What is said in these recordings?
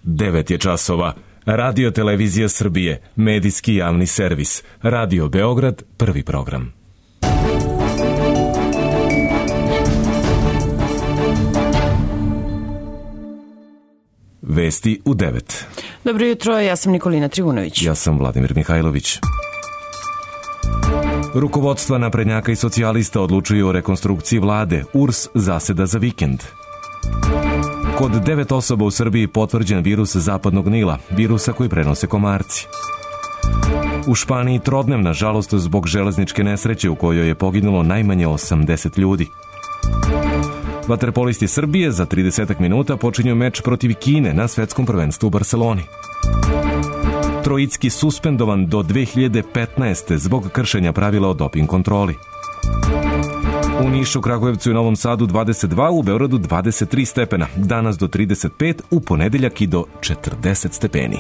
9 je časova. Radio Televizija Srbije, medijski javni servis. Radio Beograd, prvi program. Vesti u 9. Dobro jutro, ja sam Nikolina Trivunović. Ja sam Vladimir Mihajlović. Rukovodstva naprednjaka i socijalista odlučuju o rekonstrukciji vlade. URS zaseda za vikend. Kod 9 osoba u Srbiji potvrđen virus zapadnog Nila, virusa koji prenose komarci. U Španiji trodnevna žalost zbog železničke nesreće u kojoj je poginulo najmanje 80 ljudi. Vaterpolisti Srbije za 30 minuta počinju meč protiv Kine na svetskom prvenstvu u Barseloni. Trojicki suspendovan do 2015. zbog kršenja pravila o doping kontroli. U Nišu, Kragujevcu i Novom Sadu 22, u Beogradu 23 stepena, danas do 35, u ponedeljak i do 40 stepeni.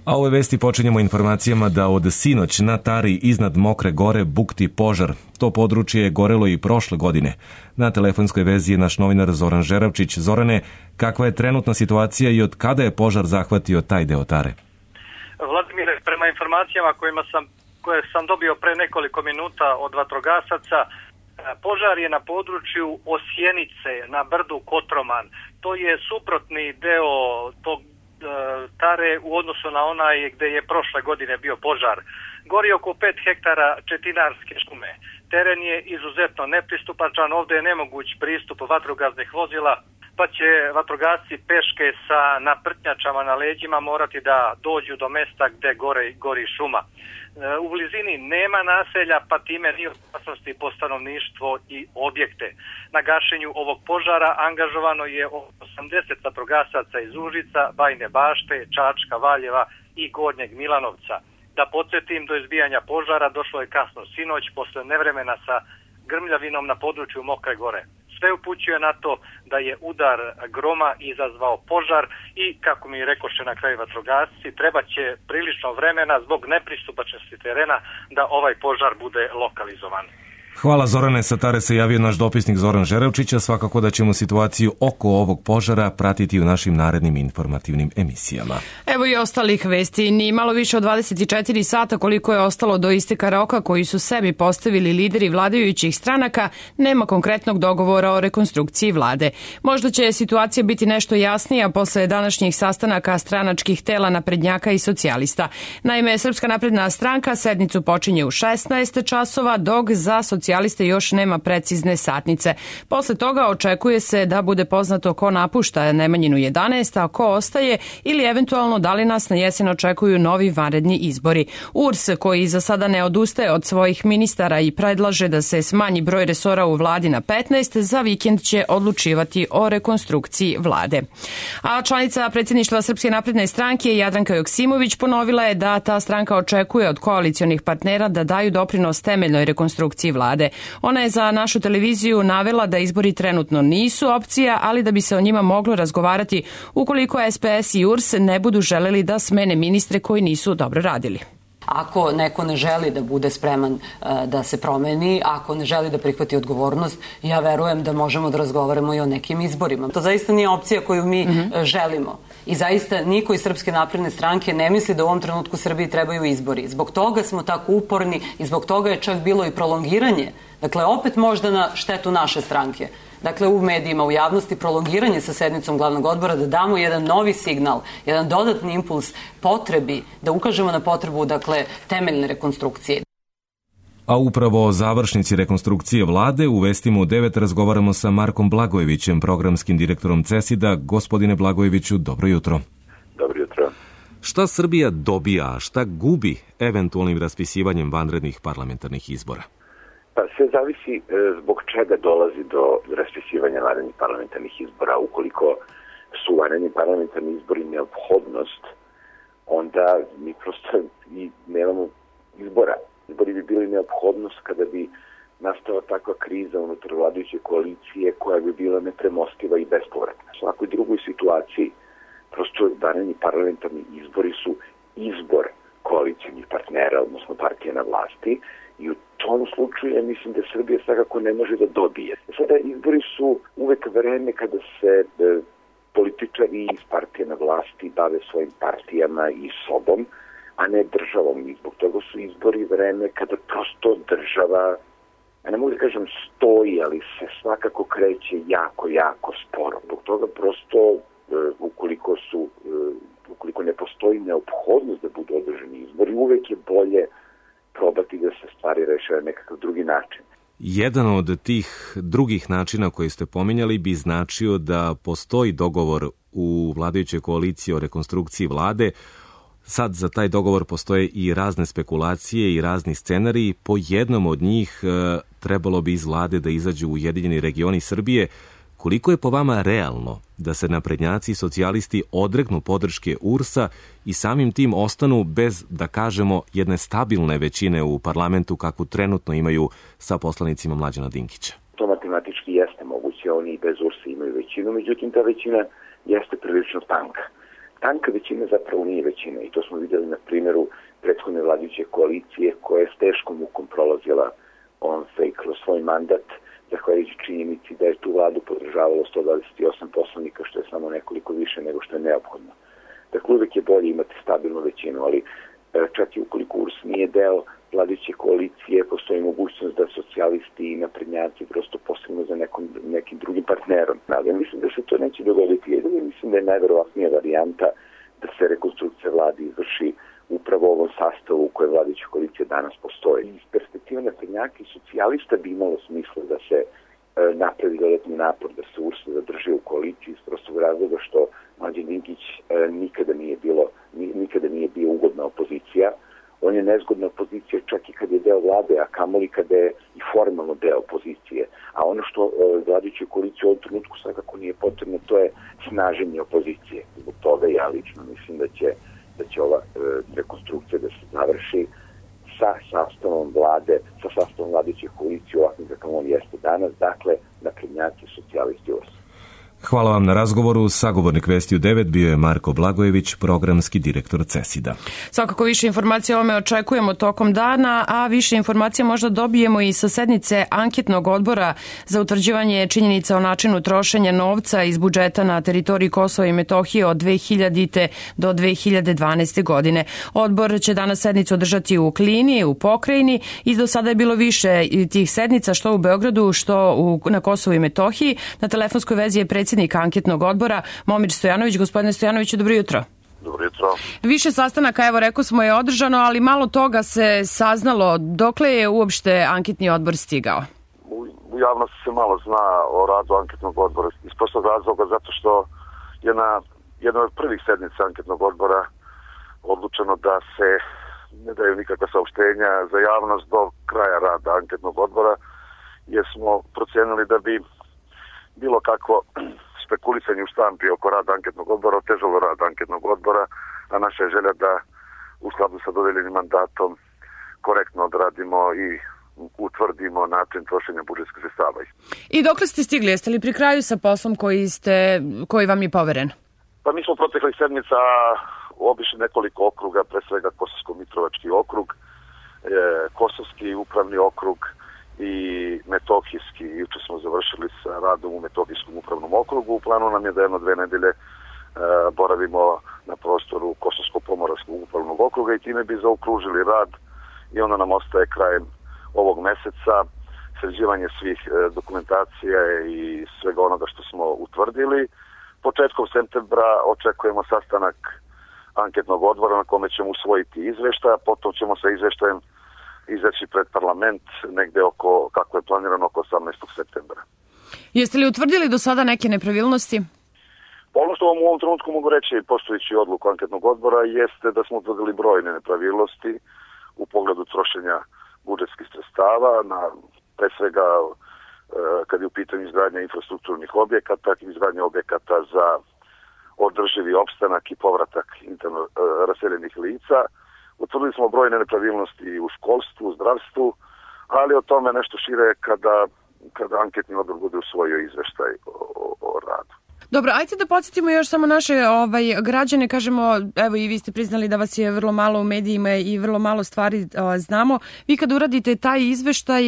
A ove vesti počinjemo informacijama da od sinoć na Tari iznad Mokre gore bukti požar. To područje je gorelo i prošle godine. Na telefonskoj vezi je naš novinar Zoran Žeravčić. Zorane, kakva je trenutna situacija i od kada je požar zahvatio taj deo Tare? Vladimire, prema informacijama koje sam dobio pre nekoliko minuta od vatrogasaca, požar je na području Osjenice, na brdu Kotroman. To je suprotni deo tog Tare u odnosu na onaj gde je prošle godine bio požar. Gori oko 5 hektara četinarske šume. Teren je izuzetno nepristupačan, ovde je nemoguć pristup vatrogasnih vozila, pa će vatrogasci peške sa naprtnjačama na leđima morati da dođu do mesta gde gori šuma. U blizini nema naselja, pa time nije opasnosti po stanovništvo i objekte. Na gašenju ovog požara angažovano je 80 vatrogasaca iz Užica, Bajine Bašte, Čačka, Valjeva i Gornjeg Milanovca. Da podsjetim, do izbijanja požara došlo je kasno sinoć posle nevremena sa grmljavinom na području Mokre gore. Sve upućuje na to da je udar groma izazvao požar i, kako mi rekoše na kraju vatrogasci, treba će prilično vremena zbog nepristupačnosti terena da ovaj požar bude lokalizovan. Hvala Zorane, sa Tare se javio naš dopisnik Zoran Žeravčić, a svakako da ćemo situaciju oko ovog požara pratiti u našim narednim informativnim emisijama. Evo i ostalih vesti. Ni malo više od 24 sata koliko je ostalo do isteka roka koji su sebi postavili lideri vladajućih stranaka, nema konkretnog dogovora o rekonstrukciji vlade. Možda će situacija biti nešto jasnija posle današnjih sastanaka stranačkih tela naprednjaka i socijalista. Naime, Srpska napredna stranka sednicu počinje u 16 časova, dok za socijaliste još nema precizne satnice. Posle toga očekuje se da bude poznato ko napušta Nemanjinu 11, a ko ostaje ili eventualno da li nas na jesen očekuju novi vanredni izbori. URS, koji za sada ne odustaje od svojih ministara i predlaže da se smanji broj resora u vladi na 15, za vikend će odlučivati o rekonstrukciji vlade. A članica predsjedništva Srpske napredne stranke Jadranka Joksimović ponovila je da ta stranka očekuje od koalicionih partnera da daju doprinos temeljnoj rekonstrukciji vlade. Ona je za našu televiziju navela da izbori trenutno nisu opcija, ali da bi se o njima moglo razgovarati ukoliko SPS i URS ne budu želeli da smene ministre koji nisu dobro radili. Ako neko ne želi da bude spreman da se promeni, ako ne želi da prihvati odgovornost, ja verujem da možemo da razgovaramo i o nekim izborima. To zaista nije opcija koju mi želimo. I zaista niko iz Srpske napredne stranke ne misli da u ovom trenutku Srbiji trebaju izbori. Zbog toga smo tako uporni i zbog toga je čak bilo i prolongiranje. Dakle, opet možda na štetu naše stranke. Dakle, u medijima, u javnosti, prolongiranje sa sednicom glavnog odbora, da damo jedan novi signal, jedan dodatni impuls potrebi, da ukažemo na potrebu, dakle, temeljne rekonstrukcije. A upravo o završnici rekonstrukcije vlade u vestima u 9 razgovaramo sa Markom Blagojevićem, programskim direktorom CESID-a. Gospodine Blagojeviću, dobro jutro. Dobro jutro. Šta Srbija dobija, a šta gubi eventualnim raspisivanjem vanrednih parlamentarnih izbora? Pa sve zavisi zbog čega dolazi do raspisivanja vanrednih parlamentarnih izbora. Ukoliko su vanredni parlamentarni izbori neophodnost, onda mi prosto i nemamo izbora. Izbori bi bili neophodnost kada bi nastala takva kriza unutar vladajuće koalicije koja bi bila nepremostiva i bespovratna. U svakoj drugoj situaciji prosto vanredni parlamentarni izbori su izbor koalicijnih partnera, odnosno partije na vlasti, i u tom slučaju ja mislim da Srbija svakako ne može da dobije. Sada izbori su uvek vreme kada se političari iz partije na vlasti bave svojim partijama i sobom, a ne državom. I zbog toga su izbori vreme kada prosto država, ja ne mogu da kažem stoji, ali se svakako kreće jako, jako sporo. Zbog toga prosto, ukoliko ne postoji neophodnost da budu održani izbori, uvek je bolje probati da se stvari reše na nekakav drugi način. Jedan od tih drugih načina koje ste pominjali bi značio da postoji dogovor u vladajućoj koaliciji o rekonstrukciji vlade. Sad za taj dogovor postoje i razne spekulacije i razni scenariji. Po jednom od njih trebalo bi iz vlade da izađu Ujedinjeni regioni Srbije. Koliko je po vama realno da se naprednjaci i socijalisti odreknu podrške URS-a i samim tim ostanu bez, da kažemo, jedne stabilne većine u parlamentu kakvu trenutno imaju sa poslanicima Mlađana Dinkića? To matematički jeste moguće, oni i bez URS-a imaju većinu, međutim ta većina jeste prilično tanka. Tanka većina zapravo nije većina i to smo vidjeli na primjeru prethodne vladajuće koalicije koja je s teškom mukom prolazila kroz svoj mandat, zahvaljujući činjenici da je tu vladu podržavalo 128 poslanika, što je samo nekoliko više nego što je neophodno. Dakle, uvek je bolje imati stabilnu većinu, ali čak i ukoliko URS nije deo vladajuće koalicije, postoji mogućnost da socijalisti i naprednjaci prosto posebno za nekim drugim partnerom. Ali ja mislim da se to neće dogoditi. Ja mislim da je najverovatnija varijanta da se rekonstrukcija vlade izvrši upravo u ovom sastavu u kojoj vladajuća koalicija danas postoji. Iz perspektive naprednjaka i socijalista bi imalo smisla da se napravi dodatni napor, da se URS zadrži u koaliciji iz prostog razloga što Mlađan Dinkić nikada nije bio ugodna opozicija. On je nezgodna opozicija čak i kad je deo vlade, a kamoli kada je i formalno deo opozicije. A ono što vladajućoj koaliciji u ovom trenutku svakako nije potrebno, to je snaženje opozicije. Zbog toga ja lično mislim da će ova rekonstrukcija da se završi sa sastavom vladajuće koalicije ovakvim kakav on jeste danas, dakle naprednjaci, socijalisti, URS. Hvala vam na razgovoru. Sagovornik Vesti u 9 bio je Marko Blagojević, programski direktor CESID-a. Svakako više informacija o ovome očekujemo tokom dana, a više informacija možda dobijemo i sa sednice anketnog odbora za utvrđivanje činjenica o načinu trošenja novca iz budžeta na teritoriji Kosova i Metohije od 2000. do 2012. godine. Odbor će danas sednicu održati u Klini, u Pokrajini i do sada je bilo više tih sednica, što u Beogradu, što na Kosovu i Metohiji. Na telefonskoj vezi je predsjednik anketnog odbora Momir Stojanović. Gospodine Stojanoviću, dobro jutro. Dobro jutro. Više sastanaka, evo rekao smo, je održano, ali malo toga se saznalo. Dokle je uopšte anketni odbor stigao? U javnosti se malo zna o radu anketnog odbora iz prostog razloga zato što je na jednoj od prvih sednica anketnog odbora odlučeno da se ne daju nikakva saopštenja za javnost do kraja rada anketnog odbora, jer smo procijenili da bi bilo kako spekulisanje u štampi oko rada anketnog odbora otežalo rad anketnog odbora, a naša je želja da u skladu sa dodeljenim mandatom korektno odradimo i utvrdimo način trošenja budžetskih sredstava. I dokle ste stigli? Jeste li pri kraju sa poslom koji vam je poveren? Pa mi smo proteklih sedmica obišli nekoliko okruga, pre svega Kosovsko-Mitrovački okrug, Kosovski upravni okrug i Metohijski. Juče smo završili sa radom u Metohijskom upravnom okrugu. U planu nam je da 1-2 nedelje boravimo na prostoru Kosovsko-Pomoravskog upravnog okruga i time bi zaokružili rad i onda nam ostaje krajem ovog meseca sređivanje svih dokumentacija i svega onoga što smo utvrdili. Početkom septembra očekujemo sastanak anketnog odbora na kome ćemo usvojiti izveštaj, a potom ćemo sa izveštajem izaći pred parlament negde kako je planirano, oko 18. septembra. Jeste li utvrdili do sada neke nepravilnosti? Ono što vam u ovom trenutku mogu reći, poštujući odluku anketnog odbora, jeste da smo utvrdili brojne nepravilnosti u pogledu trošenja budžetskih sredstava, pre svega kad je u pitanju izgradnja infrastrukturnih objekata, izgradnja objekata za održivi opstanak i povratak interno raseljenih lica. Utvrdili smo brojne nepravilnosti u školstvu, u zdravstvu, ali o tome nešto šire kada anketni odbor bude usvojio izveštaj o radu. Dobro, ajde da podsjetimo još samo naše građane, kažemo, evo i vi ste priznali da vas je vrlo malo u medijima i vrlo malo stvari znamo. Vi kad uradite taj izveštaj,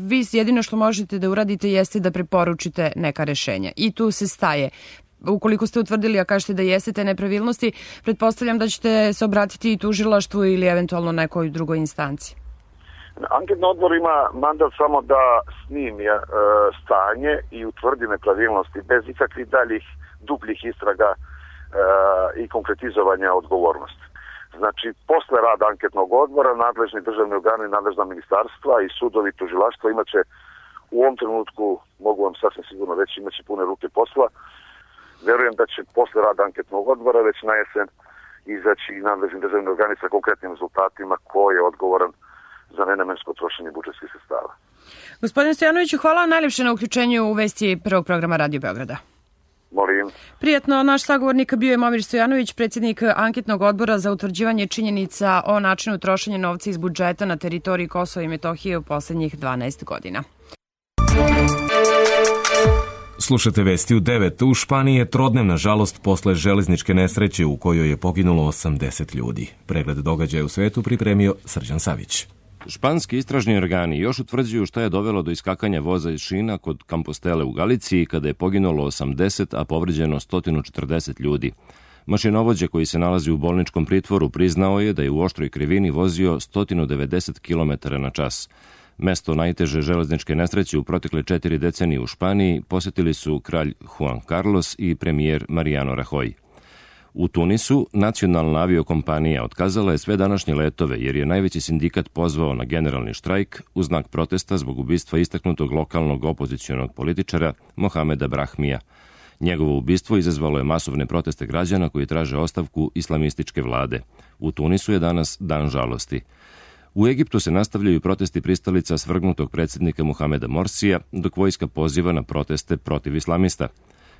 vi jedino što možete da uradite jeste da preporučite neka rešenja i tu se staje. ukoliko ste utvrdili, a kažete da jeste te nepravilnosti, pretpostavljam da ćete se obratiti i tužilaštvu ili eventualno nekoj drugoj instanci. Anketni odbor ima mandat samo da snimi stanje i utvrdi nepravilnosti bez ikakvih daljih dubljih istraga i konkretizovanja odgovornosti. Znači, posle rada anketnog odbora, nadležni državni organi, nadležna ministarstva i sudovi, tužilaštva imaće u ovom trenutku, mogu vam sasvim sigurno reći, imaće pune ruke posla. Verujem da će posle rada anketnog odbora već na jesen izaći nadležni državni organi sa konkretnim rezultatima ko je odgovoran za nenamensko trošenje budžetskih sredstava. Gospodine Stojanoviću, hvala najljepše na uključenju u vesti prvog programa Radio Beograda. Molim. Prijatno, naš sagovornik bio je Momir Stojanović, predsjednik anketnog odbora za utvrđivanje činjenica o načinu trošenja novca iz budžeta na teritoriji Kosova i Metohije u poslednjih 12 godina. Slušate vesti u 9. U Španiji je trodnevna žalost posle železničke nesreće u kojoj je poginulo 80 ljudi. Pregled događaja u svetu pripremio Srđan Savić. Španski istražni organi još utvrđuju šta je dovelo do iskakanja voza iz šina kod Compostele u Galiciji kada je poginulo 80, a povređeno 140 ljudi. Mašinovođa koji se nalazi u bolničkom pritvoru priznao je da je u oštroj krivini vozio 190 km na čas. Mesto najteže železničke nesreće u protekle 4 decenije u Španiji posetili su kralj Juan Carlos i premijer Mariano Rajoy. U Tunisu nacionalna aviokompanija otkazala je sve današnje letove jer je najveći sindikat pozvao na generalni štrajk u znak protesta zbog ubistva istaknutog lokalnog opozicionog političara Mohameda Brahmija. Njegovo ubistvo izazvalo je masovne proteste građana koji traže ostavku islamističke vlade. U Tunisu je danas dan žalosti. U Egiptu se nastavljaju protesti pristalica svrgnutog predsjednika Mohameda Morsija, dok vojska poziva na proteste protiv islamista.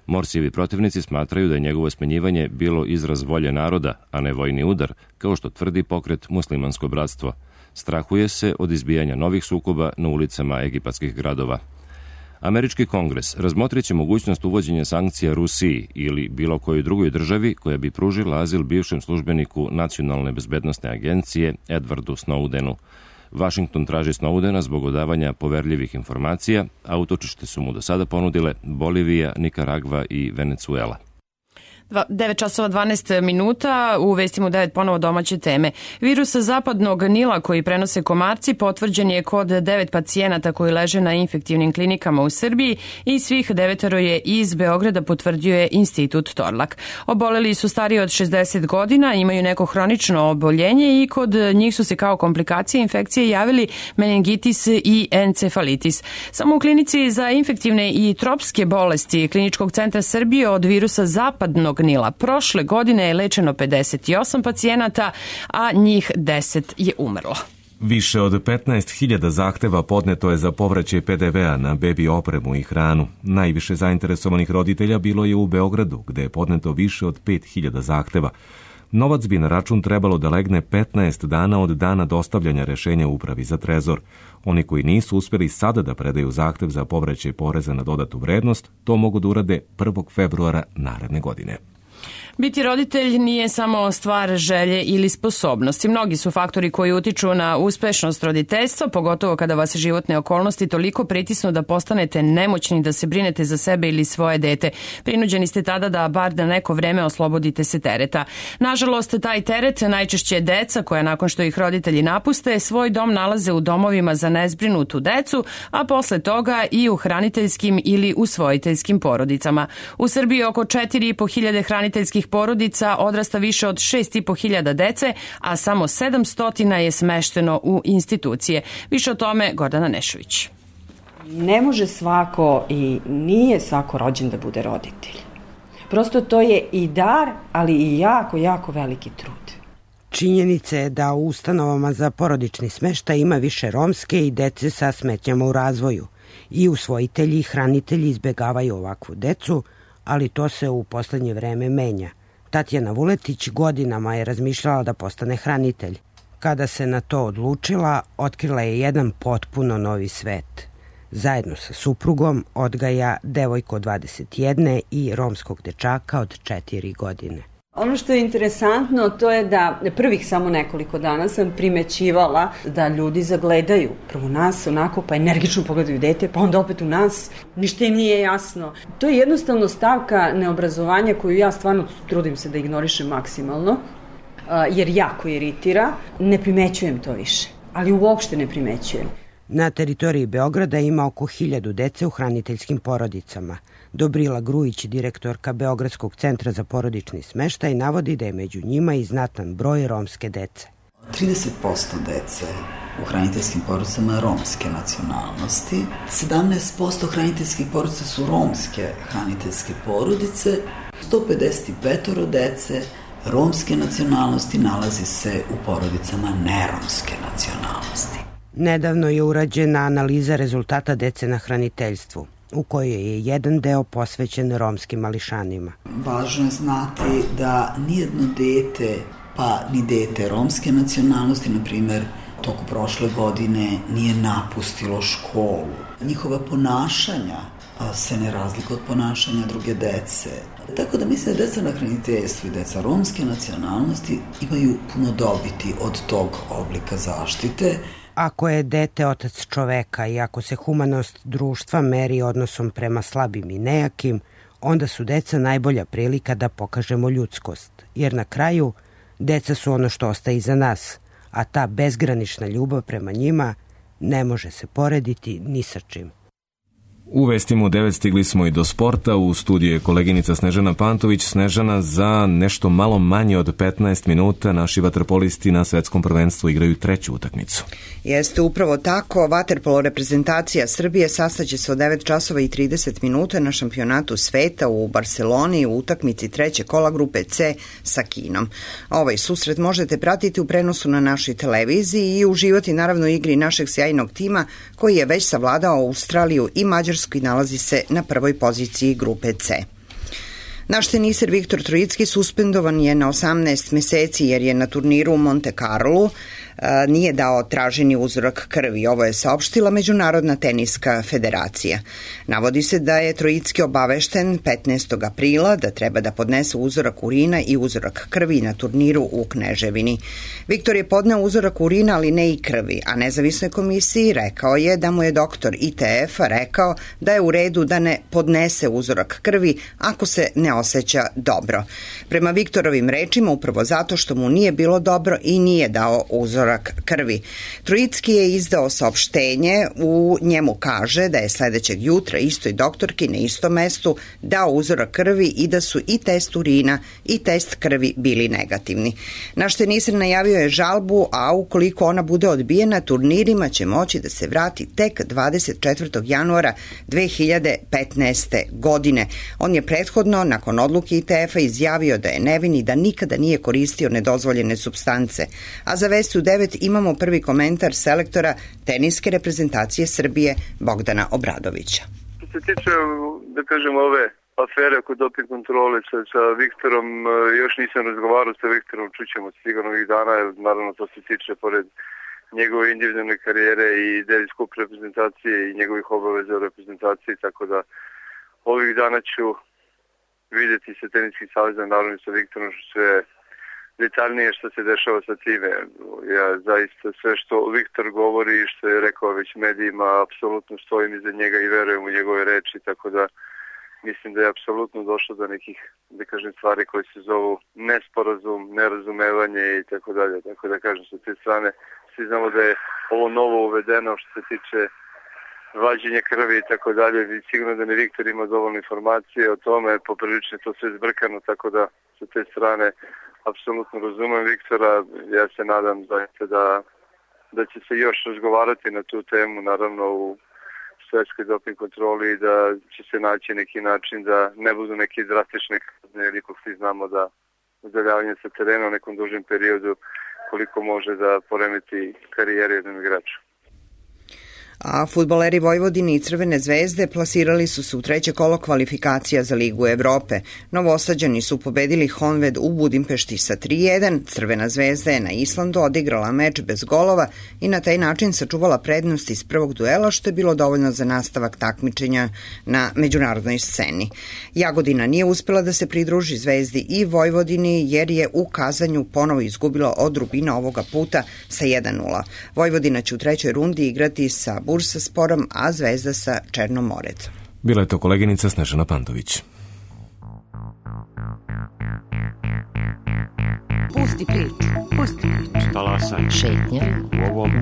Morsijevi protivnici smatraju da je njegovo smenjivanje bilo izraz volje naroda, a ne vojni udar, kao što tvrdi pokret Muslimansko bratstvo. Strahuje se od izbijanja novih sukoba na ulicama egipatskih gradova. Američki kongres razmotrit će mogućnost uvođenja sankcija Rusiji ili bilo kojoj drugoj državi koja bi pružila azil bivšem službeniku Nacionalne bezbednosne agencije Edwardu Snowdenu. Washington traži Snowdena zbog odavanja poverljivih informacija, a utočište su mu do sada ponudile Bolivija, Nikaragva i Venezuela. 9 časova 12 minuta, u vestima u 9 ponovo domaće teme. Virus zapadnog Nila koji prenose komarci potvrđen je kod 9 pacijenata koji leže na infektivnim klinikama u Srbiji i svih 9 je iz Beograda, potvrđuje Institut Torlak. Oboleli su stariji od 60 godina, imaju neko hronično oboljenje i kod njih su se kao komplikacije infekcije javili meningitis i encefalitis. Samo u klinici za infektivne i tropske bolesti Kliničkog centra Srbije od virusa zapadnog Nila prošle godine je lečeno 58 pacijenata, a njih 10 je umrlo. Više od 15.000 zahteva podneto je za povraćaj PDV-a na bebi opremu i hranu. Najviše zainteresovanih roditelja bilo je u Beogradu, gde je podneto više od 5.000 zahteva. Novac bi na račun trebalo da legne 15 dana od dana dostavljanja rešenja Upravi za trezor. Oni koji nisu uspjeli sada da predaju zahtev za povraćaj poreza na dodatu vrednost, to mogu da urade 1. februara naredne godine. Biti roditelj nije samo stvar želje ili sposobnosti. Mnogi su faktori koji utiču na uspešnost roditeljstva, pogotovo kada vas životne okolnosti toliko pritisnu da postanete nemoćni da se brinete za sebe ili svoje dete. Prinuđeni ste tada da bar na neko vreme oslobodite se tereta. Nažalost, taj teret najčešće deca koja nakon što ih roditelji napuste svoj dom nalaze u domovima za nezbrinutu decu, a posle toga i u hraniteljskim ili usvojiteljskim porodicama. U Srbiji oko 4.500 hraniteljskih porodica odrasta više od 6.500 dece, a samo 700 je smešteno u institucije. Više o tome Gordana Nešović. Ne može svako i nije svako rođen da bude roditelj. Prosto to je i dar, ali i jako, jako veliki trud. Činjenica je da u ustanovama za porodični smeštaj ima više romske i dece sa smetnjama u razvoju. I usvojitelji i hranitelji izbegavaju ovakvu decu, ali to se u poslednje vreme menja. Tatjana Vuletić godinama je razmišljala da postane hranitelj. Kada se na to odlučila, otkrila je jedan potpuno novi svet. Zajedno sa suprugom odgaja devojku od 21 i romskog dečaka od 4 godine. Ono što je interesantno to je da prvih samo nekoliko dana sam primećivala da ljudi zagledaju prvo nas onako pa energično pogledaju dete pa onda opet u nas, ništa im nije jasno. To je jednostavno stavka neobrazovanja koju ja stvarno trudim se da ignorišem maksimalno jer jako iritira, ne primećujem to više, ali uopšte ne primećujem. Na teritoriji Beograda ima oko 1000 dece u hraniteljskim porodicama. Dobrila Grujić, direktorka Beogradskog centra za porodični smeštaj, navodi da je među njima i znatan broj romske dece. 30% dece u hraniteljskim porodicama romske nacionalnosti, 17% hraniteljskih porodica su romske hraniteljske porodice, 155 dece romske nacionalnosti nalazi se u porodicama neromske nacionalnosti. Nedavno je urađena analiza rezultata dece na hraniteljstvu, u kojoj je jedan deo posvećen romskim mališanima. Važno je znati da nijedno dete, pa ni dete romske nacionalnosti, na primjer, toku prošle godine nije napustilo školu. Njihova ponašanja se ne razlikuju od ponašanja druge dece. Tako da mislim da deca na hraniteljstvu i deca romske nacionalnosti imaju puno dobiti od tog oblika zaštite. Ako je dete otac čoveka i ako se humanost društva meri odnosom prema slabim i nejakim, onda su deca najbolja prilika da pokažemo ljudskost. Jer na kraju, deca su ono što ostaje iza nas, a ta bezgranična ljubav prema njima ne može se porediti ni sa čim. U vestima u 9 stigli smo i do sporta. U studiju je koleginica Snežana Pantović. Snežana, za nešto malo manje od 15 minuta naši vaterpolisti na svetskom prvenstvu igraju treću utakmicu. Jeste upravo tako. Vaterpolo reprezentacija Srbije sastaće se od 9 časova i 30 minuta na šampionatu sveta u Barseloni u utakmici treće kola grupe C sa Kinom. Ovaj susret možete pratiti u prenosu na našoj televiziji i uživati naravno u igri našeg sjajnog tima koji je već savladao Australiju i Mađarsku i nalazi se na prvoj poziciji grupe C. Naš teniser Viktor Trojicki suspendovan je na 18 meseci jer je na turniru u Monte Carlu nije dao traženi uzorak krvi. Ovo je saopštila Međunarodna teniska federacija. Navodi se da je Trojicki obavešten 15. aprila da treba da podnese uzorak urina i uzorak krvi na turniru u Kneževini. Viktor je podneo uzorak urina, ali ne i krvi, a nezavisnoj komisiji rekao je da mu je doktor ITF-a rekao da je u redu da ne podnese uzorak krvi ako se ne osjeća dobro. Prema Viktorovim rečima, upravo zato što mu nije bilo dobro i nije dao uzorak krvi. Trojicki je izdao saopštenje, u njemu kaže da je sledećeg jutra istoj doktorki na istom mestu dao uzorak krvi i da su i test urina i test krvi bili negativni. Naš teniser najavio je žalbu, a ukoliko ona bude odbijena, turnirima će moći da se vrati tek 24. januara 2015. godine. On je prethodno, nakon odluke ITF-a, izjavio da je nevin i da nikada nije koristio nedozvoljene supstance. A za Vesti u 9 imamo prvi komentar selektora teniske reprezentacije Srbije Bogdana Obradovića. Što se tiče, da kažem, ove afere oko doping kontrole sa Viktorom, još nisam razgovarao sa Viktorom, čućemo sigurno ovih dana, naravno to se tiče pored njegove individualne karijere i Davis Cup reprezentacije i njegovih obaveza u reprezentaciji, tako da ovih dana ću vidjeti sa teniskim savezom, naravno sa Viktorom, što je detaljnije što se dešava sa time. Ja zaista sve što Viktor govori i što je rekao već medijima, apsolutno stojim iza njega i verujem u njegove reči, tako da mislim da je apsolutno došlo do nekih, da kažem, stvari koje se zovu nesporazum, nerazumevanje i tako dalje. Tako da kažem, sa te strane svi znamo da je ovo novo uvedeno što se tiče vađenja krvi i tako dalje. Sigurno da ne Viktor ima dovoljno informacije o tome, poprilično je to sve zbrkano, tako da sa te strane apsolutno razumem Viktora. Ja se nadam da će se još razgovarati na tu temu, naravno u svetskoj doping kontroli, i da će se naći neki način da ne budu neki drastične kazne, jer ipak svi znamo da udaljavanje sa terena u nekom dužem periodu koliko može da poremeti karijeru jednom igraču. A fudbaleri Vojvodine i Crvene zvezde plasirali su se u treće kolo kvalifikacija za Ligu Evrope. Novosađani su pobedili Honved u Budimpešti sa 3:1, Crvena zvezda je na Islandu odigrala meč bez golova i na taj način sačuvala prednost iz prvog duela, što je bilo dovoljno za nastavak takmičenja na međunarodnoj sceni. Jagodina nije uspela da se pridruži Zvezdi i Vojvodini jer je u Kazanju ponovo izgubila od Rubina ovoga puta sa 1:0. Vojvodina će u trećoj rundi igrati sa Bursasporom, a Zvezda sa Černomorecom. Bila je to koleginica Snežana Pantović. Pusti priču. Pusti priču. Talasaj. Šetnja.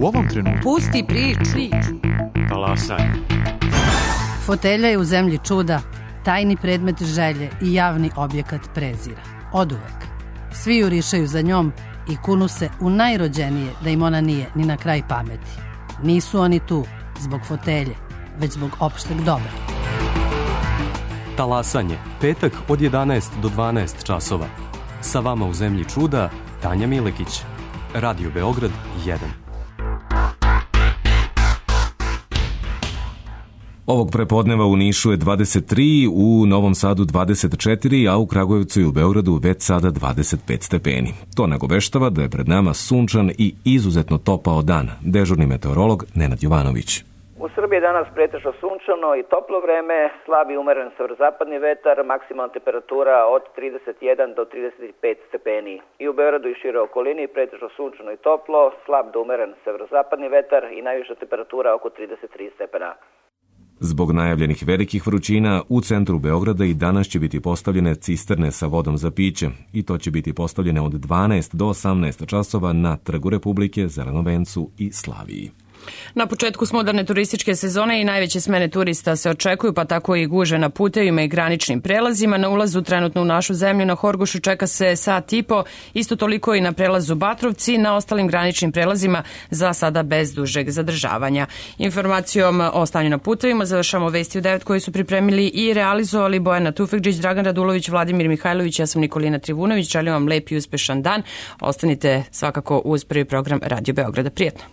U ovom trenutku. Pusti priču. Talasaj. Fotelja je u zemlji čuda, tajni predmet želje i javni objekat prezira. Oduvek. Svi jurišaju za njom i kunu se u najrođenije da im ona nije ni na kraj pameti. Nisu oni tu zbog fotelje, već zbog opšteg dobra. Talasanje, petak od 11 do 12 časova. Sa vama u zemlji čuda, Tanja Milekić. Radio Beograd 1. Ovog prepodneva u Nišu je 23, u Novom Sadu 24, a u Kragujevcu i u Beogradu već sada 25 stepeni. To nagoveštava da je pred nama sunčan i izuzetno topao dan. Dežurni meteorolog Nenad Jovanović. U Srbiji je danas pretežno sunčano i toplo vreme, slab i umeren severozapadni vetar, maksimalna temperatura od 31 do 35 stepeni. I u Beogradu i šire okolini pretežno sunčano i toplo, slab do umeren severozapadni vetar i najviša temperatura oko 33 stepena. Zbog najavljenih velikih vrućina, u centru Beograda i danas će biti postavljene cisterne sa vodom za piće i to će biti postavljene od 12 do 18 časova na Trgu Republike, Zelenovencu i Slaviji. Na početku moderne turističke sezone i najveće smene turista se očekuju, pa tako i guže na putevima i graničnim prelazima. Na ulazu trenutno u našu zemlju na Horgošu čeka se sat i po, isto toliko i na prelazu Batrovci, na ostalim graničnim prelazima za sada bez dužeg zadržavanja. Informacijom o stanju na putevima završamo vesti u 9 koji su pripremili i realizovali Bojana Tufekđić, Dragan Radulović, Vladimir Mihajlović, ja sam Nikolina Trivunović. Želim vam lep i uspešan dan. Ostanite svakako uz prvi program Radio Beograda. Prijetno.